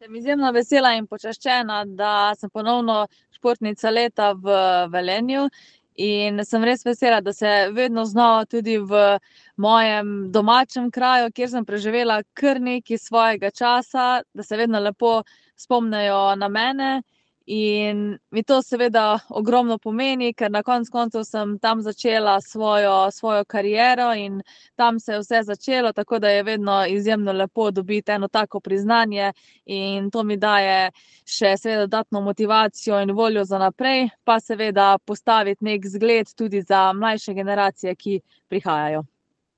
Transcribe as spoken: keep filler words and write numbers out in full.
Sem izjemno vesela in počaščena, da sem ponovno športnica leta v Velenju, in sem res vesela, da se vedno znova tudi v mojem domačem kraju, kjer sem preživela kar nekaj svojega časa, da se vedno lepo spomnijo na mene. In mi to seveda ogromno pomeni, ker na konec koncev sem tam začela svojo, svojo kariero in tam se je vse začelo, tako da je vedno izjemno lepo dobiti eno tako priznanje in to mi daje še seveda dodatno motivacijo in voljo za naprej, pa seveda postaviti neki zgled tudi za mlajše generacije, ki prihajajo.